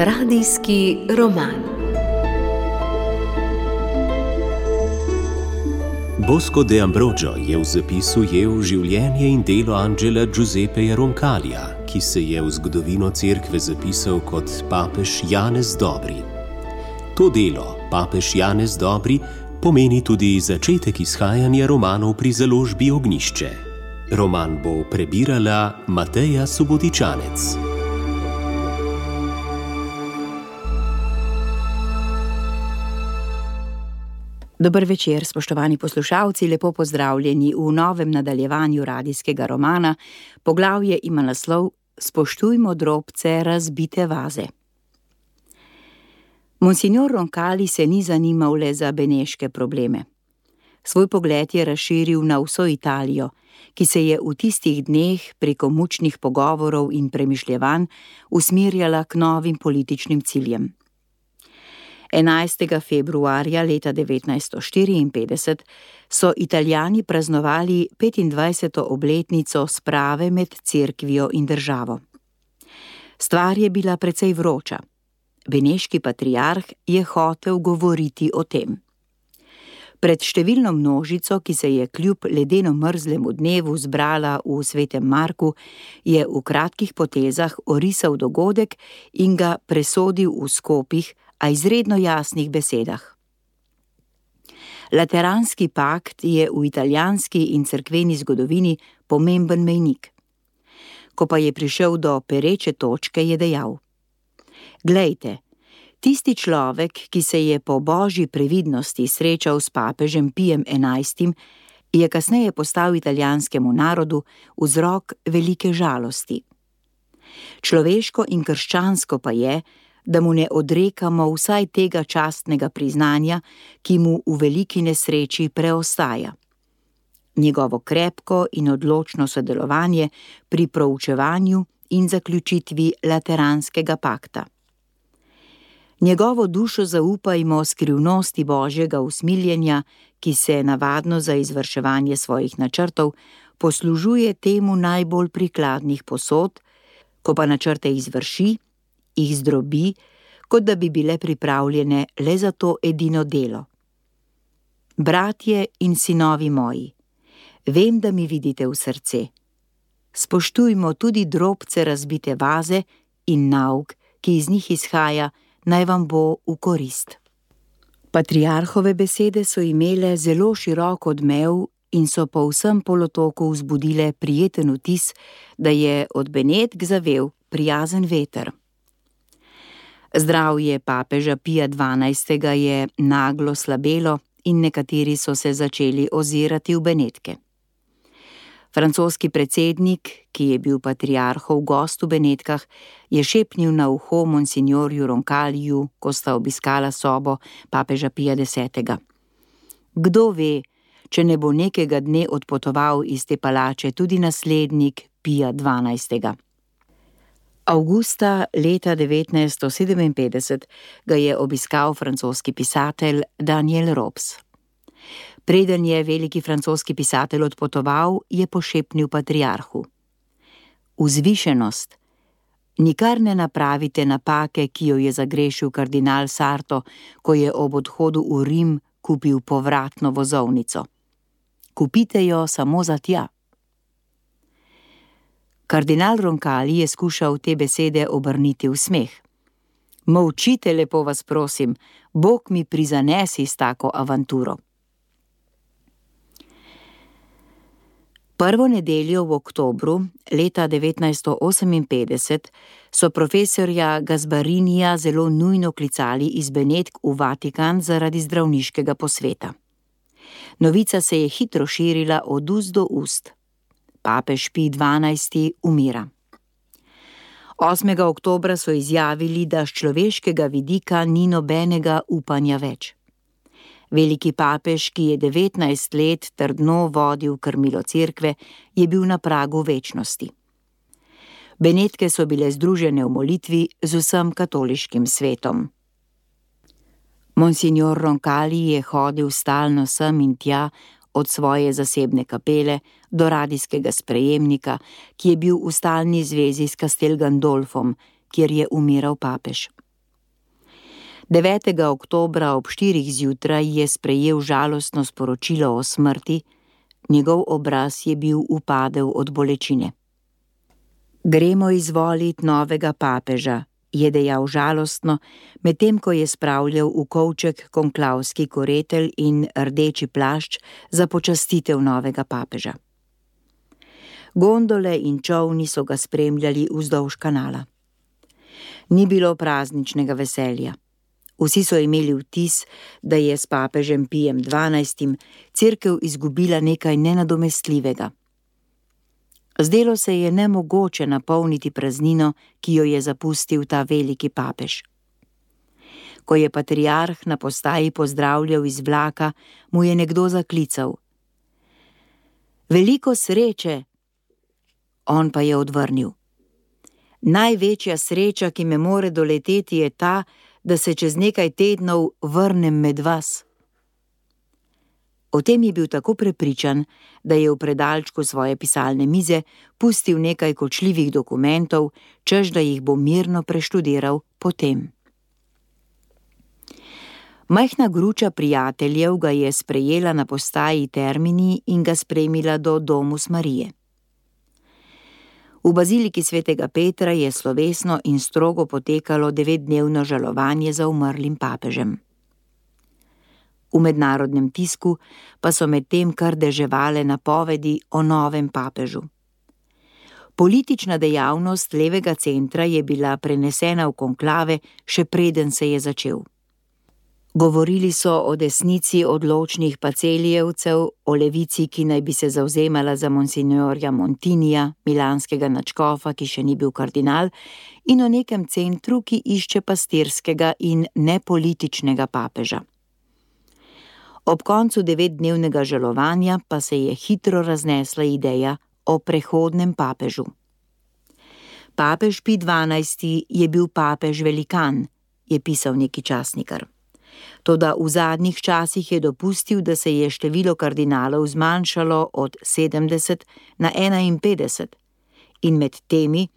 Radijski roman. Bosco de Ambrogio je v zapisu ujel življenje in delo Angela Giuseppeja Roncalija, ki se je v zgodovino cerkve zapisal kot papež Janez Dobri. To delo, papež Janez Dobri, pomeni tudi začetek izhajanja romanov pri založbi Ognjišče. Roman bo prebirala Mateja Subotičanec. Dober večer, spoštovani poslušalci, lepo pozdravljeni v novem nadaljevanju radijskega romana. Poglavje ima naslov Spoštujmo drobce razbite vaze. Monsignor Roncali se ni zanimal le za beneške probleme. Svoj pogled je razširil na vso Italijo, ki se je v tistih dneh preko mučnih pogovorov in premišljevanj usmerjala k novim političnim ciljem. 11. februarja leta 1954 so Italijani praznovali 25. obletnico sprave med cerkvijo in državo. Stvar je bila precej vroča. Beneški patriarh je hotel govoriti o tem. Pred številno množico, ki se je kljub ledeno mrzlemu dnevu zbrala v Svetem Marku, je v kratkih potezah orisal dogodek in ga presodil v skopih, a izredno jasnih besedah. Lateranski pakt je v italijanski in cerkveni zgodovini pomemben mejnik. Ko pa je prišel do pereče točke, je dejal: Glejte, tisti človek, ki se je po božji previdnosti srečal s papežem Pijem XI, je kasneje postal italijanskemu narodu vzrok velike žalosti. Človeško in krščansko pa je, da mu ne odrekamo vsaj tega častnega priznanja, ki mu v veliki nesreči preostaja. Njegovo krepko in odločno sodelovanje pri proučevanju in zaključitvi Lateranskega pakta. Njegovo dušo zaupajmo skrivnosti božjega usmiljenja, ki se navadno za izvrševanje svojih načrtov poslužuje temu najbolj prikladnih posod, ko pa načrte izvrši, jih zdrobi, kot da bi bile pripravljene le za to edino delo. Bratje in sinovi moji, vem, da mi vidite v srce. Spoštujmo tudi drobce razbite vaze in nauk, ki iz njih izhaja, naj vam bo v korist. Patriarhove besede so imele zelo širok odmev in so po vsem polotoku vzbudile prijeten vtis, da je od Benetk zavel prijazen veter. Zdravje papeža Pija XII. Je naglo slabelo in nekateri so se začeli ozirati v Benetke. Francoski predsednik, ki je bil patriarhov gost v Benetkah, je šepnil na uho monsignorju Roncaliju, ko sta obiskala sobo papeža Pija X. Kdo ve, če ne bo nekega dne odpotoval iz te palače tudi naslednik Pija XII. Avgusta leta 1957 ga je obiskal francoski pisatelj Daniel Robes. Preden je veliki francoski pisatelj odpotoval, je pošepnil patriarhu: Vzvišenost, nikar ne napravite napake, ki jo je zagrešil kardinal Sarto, ko je ob odhodu v Rim kupil povratno vozovnico. Kupite jo samo za tja. Kardinal Roncali je skušal te besede obrniti v smeh. Molčite, lepo vas prosim, Bog mi prizanesi s tako avanturo. Prvo nedeljo v oktobru leta 1958 so profesorja Gasbarinija zelo nujno klicali iz Benetk v Vatikan zaradi zdravniškega posveta. Novica se je hitro širila od ust do ust. Papež Pij XII. Umira. 8. oktobra so izjavili, da s človeškega vidika ni nobenega upanja več. Veliki papež, ki je 19 let trdno vodil krmilo cerkve, je bil na pragu večnosti. Benetke so bile združene v molitvi z vsem katoliškim svetom. Monsignor Roncali je hodil stalno sem in tja, od svoje zasebne kapele do radijskega sprejemnika, ki je bil v stalni zvezi s Castel Gandolfom, kjer je umiral papež. 9. oktobra ob 4. zjutraj je sprejel žalostno sporočilo o smrti, njegov obraz je bil upadel od bolečine. Gremo izvolit novega papeža, je dejal žalostno, medtem ko je spravljal v kovček konklavski koretelj in rdeči plašč za počastitev novega papeža. Gondole in čolni so ga spremljali vzdolž kanala. Ni bilo prazničnega veselja. Vsi so imeli vtis, da je s papežem Pijem XII. Cerkev izgubila nekaj nenadomestljivega. Zdelo se je nemogoče napolniti praznino, ki jo je zapustil ta veliki papež. Ko je patriarh na postaji pozdravljal iz vlaka, mu je nekdo zaklical: "Veliko sreče!" On pa je odvrnil: "Največja sreča, ki me more doleteti, je ta, da se čez nekaj tednov vrnem med vas." O tem je bil tako prepričan, da je v predalčku svoje pisalne mize pustil nekaj kočljivih dokumentov, češ da jih bo mirno preštudiral potem. Majhna gruča prijateljev ga je sprejela na postaji Termini in ga spremila do Domus Marije. V baziliki svetega Petra je slovesno in strogo potekalo 9-dnevno žalovanje za umrlim papežem. V mednarodnem tisku pa so medtem kar deževale napovedi o novem papežu. Politična dejavnost levega centra je bila prenesena v konklave, še preden se je začel. Govorili so o desnici odločnih pacelijevcev, o levici, ki naj bi se zavzemala za monsignorja Montinija, milanskega nadškofa, ki še ni bil kardinal, in o nekem centru, ki išče pastirskega in nepolitičnega papeža. Ob koncu 9-dnevnega žalovanja pa se je hitro raznesla ideja o prehodnem papežu. Papež Pij XII. Je bil papež velikan, je pisal neki časnikar. Toda v zadnjih časih je dopustil, da se je število kardinalov zmanjšalo od 70 na 51 in med temi,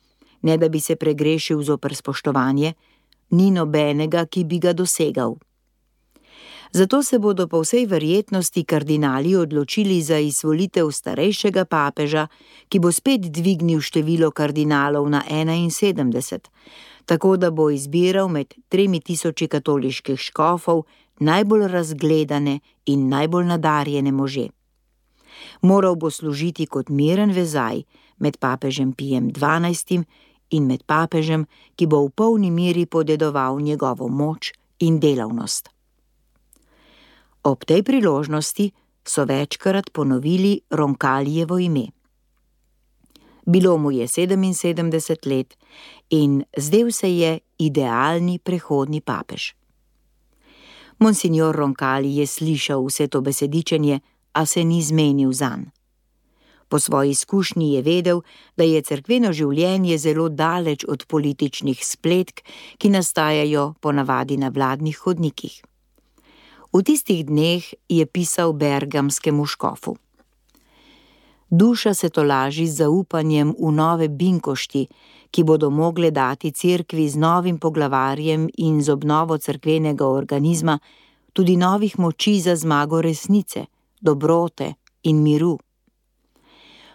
ne da bi se pregrešil zoper spoštovanje, ni nobenega, ki bi ga dosegal. Zato se bodo po vsej verjetnosti kardinali odločili za izvolitev starejšega papeža, ki bo spet dvignil število kardinalov na 71, tako da bo izbiral med 3000 katoliških škofov najbolj razgledane in najbolj nadarjene može. Moral bo služiti kot miren vezaj med papežem Pijem XII. In med papežem, ki bo v polni meri podedoval njegovo moč in delavnost. Ob tej priložnosti so večkrat ponovili Roncallijevo ime. Bilo mu je 77 let in zdel se je idealni prehodni papež. Monsignor Roncalli je slišal vse to besedičenje, a se ni zmenil zanj. Po svoji izkušnji je vedel, da je cerkveno življenje zelo daleč od političnih spletk, ki nastajajo ponavadi na vladnih hodnikih. V tistih dneh je pisal bergamskemu škofu: "Duša se tolaži z zaupanjem v nove binkošti, ki bodo mogle dati cerkvi z novim poglavarjem in z obnovo cerkvenega organizma tudi novih moči za zmago resnice, dobrote in miru.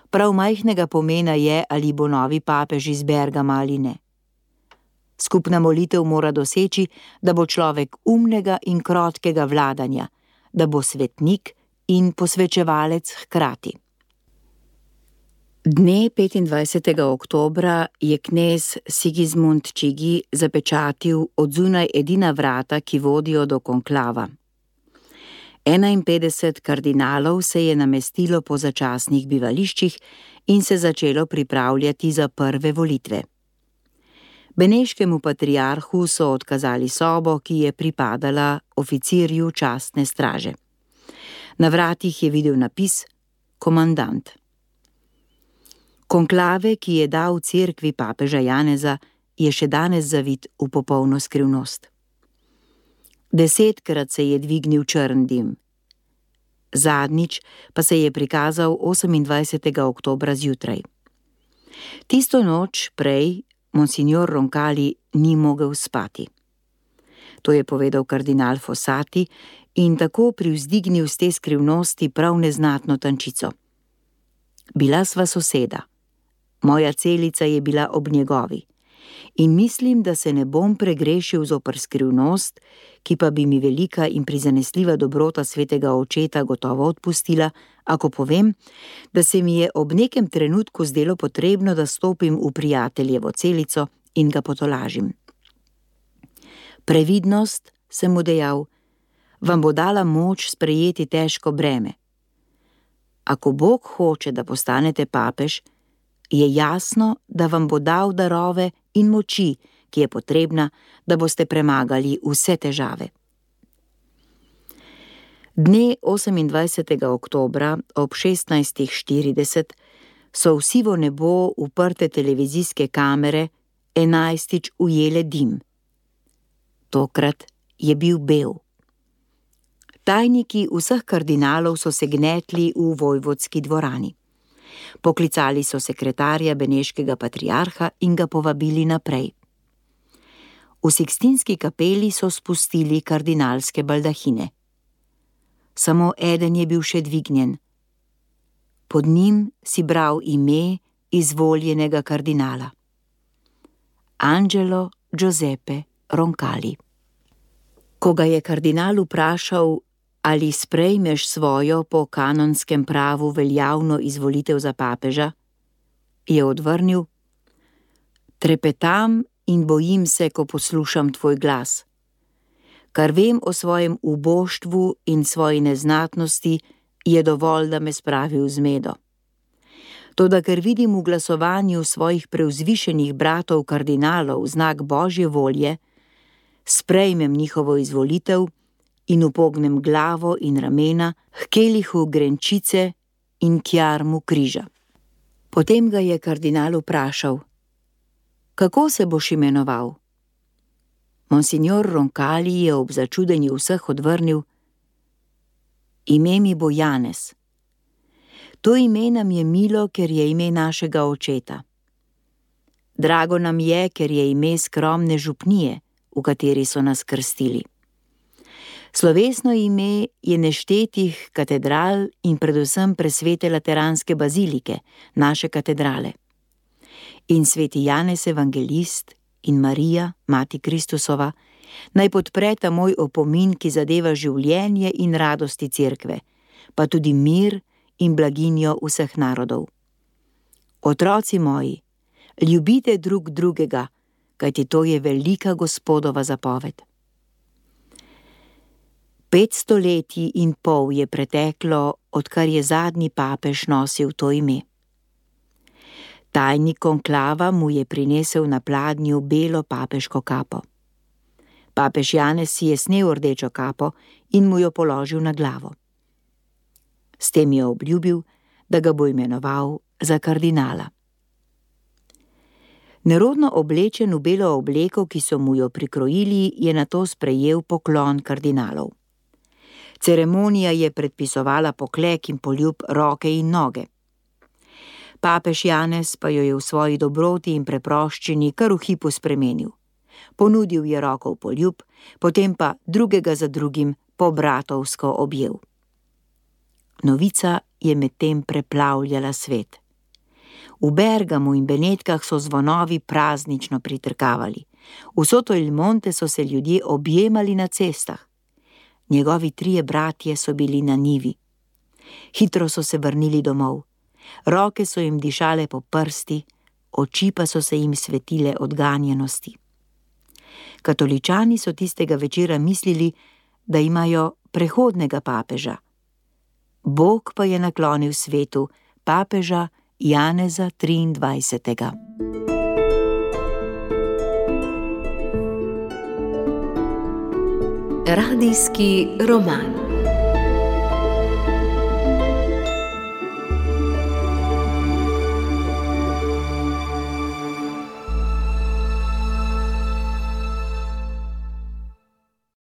Prav majhnega pomena je, ali bo novi papež iz Bergama ali ne. Skupna molitev mora doseči, da bo človek umnega in krotkega vladanja, da bo svetnik in posvečevalec hkrati." Dne 25. oktobra je knez Sigismund Čigi zapečatil odzunaj edina vrata, ki vodijo do konklava. 51 kardinalov se je namestilo po začasnih bivališčih in se začelo pripravljati za prve volitve. Beneškemu patriarhu so odkazali sobo, ki je pripadala oficirju častne straže. Na vratih je videl napis Komandant. Konklave, ki je dal cerkvi papeža Janeza, je še danes zavit v popolno skrivnost. 10-krat se je dvignil črn dim. Zadnjič pa se je prikazal 28. oktobra zjutraj. Tisto noč prej monsignor Roncalli ni mogel spati. To je povedal kardinal Fossati in tako privzdignil z te skrivnosti prav neznatno tančico. Bila sva soseda. Moja celica je bila ob njegovi in mislim, da se ne bom pregrešil zoper skrivnost, ki pa bi mi velika in prizanesljiva dobrota svetega očeta gotovo odpustila, ako povem, da se mi je ob nekem trenutku zdelo potrebno, da stopim v prijateljevo celico in ga potolažim. Previdnost, sem mu dejal, vam bo dala moč sprejeti težko breme. Ako Bog hoče, da postanete papež, je jasno, da vam bo dal darove in moči, ki je potrebna, da boste premagali vse težave. Dne 28. oktobra ob 16:40 so v sivo nebo uprte televizijske kamere 11. ujele dim. Tokrat je bil bel. Tajniki vseh kardinalov so se gnetli v vojvodski dvorani. Poklicali so sekretarja beneškega patriarha in ga povabili naprej. V Sikstinski kapeli so spustili kardinalske baldahine. Samo eden je bil še dvignjen. Pod njim si bral ime izvoljenega kardinala. Angelo Giuseppe Roncalli. Ko ga je kardinal vprašal, ali sprejmeš svojo po kanonskem pravu veljavno izvolitev za papeža, je odvrnil: trepetam in bojim se, ko poslušam tvoj glas. Kar vem o svojem uboštvu in svoji neznatnosti, je dovolj, da me spravi v zmedo. Toda ker vidim v glasovanju svojih prevzvišenih bratov kardinalov znak Božje volje, sprejmem njihovo izvolitev in upognem glavo in ramena h kelihu grenčice in k jarmu križa. Potem ga je kardinal vprašal: kako se boš imenoval? Monsignor Roncalli je ob začudenju vseh odvrnil: ime mi bo Janez. To ime nam je milo, ker je ime našega očeta. Drago nam je, ker je ime skromne župnije, v kateri so nas krstili. Slovesno ime je neštetih katedral in predvsem presvete lateranske bazilike, naše katedrale. In sveti Janez evangelist in Marija, mati Kristusova, naj podpreta moj opomin, ki zadeva življenje in radosti cerkve, pa tudi mir in blaginjo vseh narodov. Otroci moji, ljubite drug drugega, kajti to je velika Gospodova zapoved. 500 letij in pol je preteklo, odkar je zadnji papež nosil to ime. Tajnik konklava mu je prinesel na pladnju belo papeško kapo. Papež Janez si je snel rdečo kapo in mu jo položil na glavo. S tem je obljubil, da ga bo imenoval za kardinala. Nerodno oblečen v belo obleko, ki so mu jo prikrojili, je nato sprejel poklon kardinalov. Ceremonija je predpisovala poklek in poljub roke in noge. Papež Janez pa jo je v svoji dobroti in preproščini kar v hipu spremenil. Ponudil je roko v poljub, potem pa drugega za drugim pobratovsko objel. Novica je medtem preplavljala svet. V Bergamu in Benetkah so zvonovi praznično pritrkavali. V Soto il Monte so se ljudje objemali na cestah. Njegovi 3 bratje so bili na njivi. Hitro so se vrnili domov. Roke so jim dišale po prsti, oči pa so se jim svetile od ganjenosti. Katoličani so tistega večera mislili, da imajo prehodnega papeža. Bog pa je naklonil svetu papeža Janeza 23. Radijski roman.